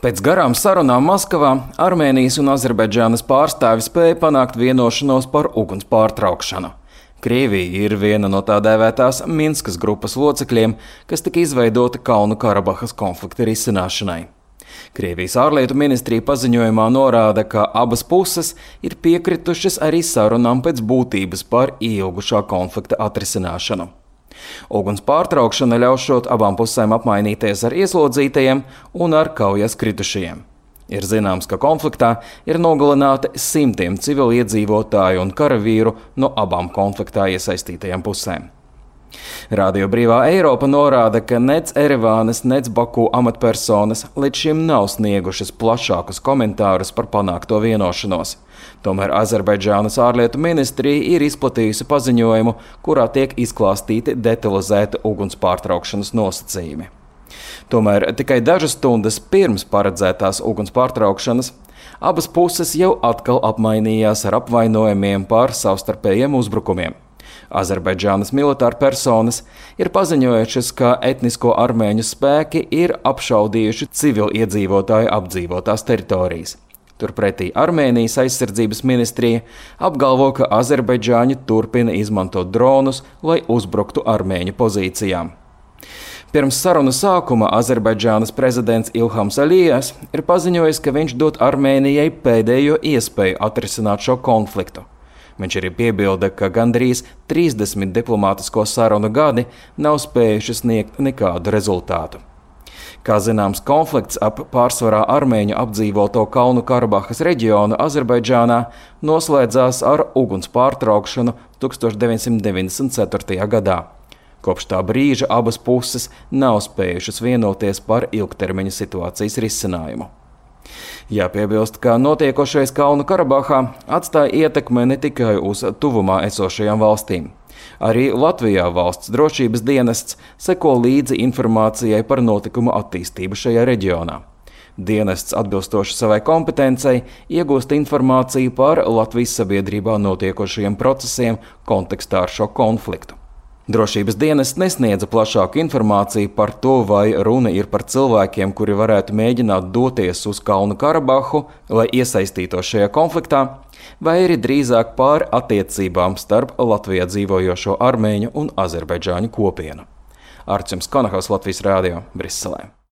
Pēc garām sarunām Maskavā Armēnijas un Azerbaidžānas pārstāvji spēja panākt vienošanos par uguns pārtraukšanu. Krievija ir viena no tā dēvētās Minskas grupas locekļiem, kas tika izveidota Kalnu-Karabahas konflikta risināšanai. Krievijas ārlietu ministrija paziņojumā norāda, ka abas puses ir piekritušas arī sarunām pēc būtības par ilgušā konflikta atrisināšanu. Uguns pārtraukšana ļaušot abām pusēm apmainīties ar ieslodzītajiem un ar kaujas kritušajiem. Ir zināms, ka konfliktā ir nogalināti simtiem civiliedzīvotāju un karavīru no abām konfliktā iesaistītajām pusēm. Radio Brīvā Eiropa norāda, ka nec Erevānas, nec Baku amatpersonas līdz šim nav sniegušas plašākus komentārus par panākto vienošanos. Tomēr Azerbaidžānas ārlietu ministrija ir izplatījusi paziņojumu, kurā tiek izklāstīti detalizēti uguns pārtraukšanas nosacījumi. Tomēr tikai dažas stundas pirms paredzētās uguns pārtraukšanas abas puses jau atkal apmainījās ar apvainojumiem par savstarpējiem uzbrukumiem. Azerbaidžānas militāra personas ir paziņojušas, ka etnisko armēņu spēki ir apšaudījuši civiliedzīvotāju apdzīvotās teritorijas. Turpretī Armēnijas aizsardzības ministrija apgalvo, ka azerbaidžāņi turpina izmantot dronus, lai uzbruktu armēņu pozīcijām. Pirms sarunu sākuma Azerbaidžānas prezidents Ilhams Alijevs ir paziņojis, ka viņš dod Armēnijai pēdējo iespēju atrisināt šo konfliktu. Viņš arī piebilda, ka gandrīz 30 diplomātisko sarunu gadi nav spējuši sniegt nekādu rezultātu. Kā zināms, konflikts ap pārsvarā armēņu apdzīvoto Kalnu-Karabahas reģionu Azerbaidžānā noslēdzās ar uguns pārtraukšanu 1994. gadā. Kopš tā brīža abas puses nav spējušas vienoties par ilgtermiņa situācijas risinājumu. Jāpiebilst, ka notiekošais Kalnu-Karabahā atstāja ietekmi ne tikai uz tuvumā esošajām valstīm. Arī Latvijā valsts drošības dienests seko līdzi informācijai par notikumu attīstību šajā reģionā. Dienests atbilstoši savai kompetencei iegūst informāciju par Latvijas sabiedrībā notiekošajiem procesiem kontekstā ar šo konfliktu. Drošības dienests nesniedza plašāku informāciju par to, vai runa ir par cilvēkiem, kuri varētu mēģināt doties uz Kalnu-Karabahu, lai iesaistītos šajā konfliktā, vai arī drīzāk par attiecībām starp Latvijā dzīvojošo armēņu un azerbaidžāņu kopienu. Arčuns Konahaus, Latvijas radio, Briselē.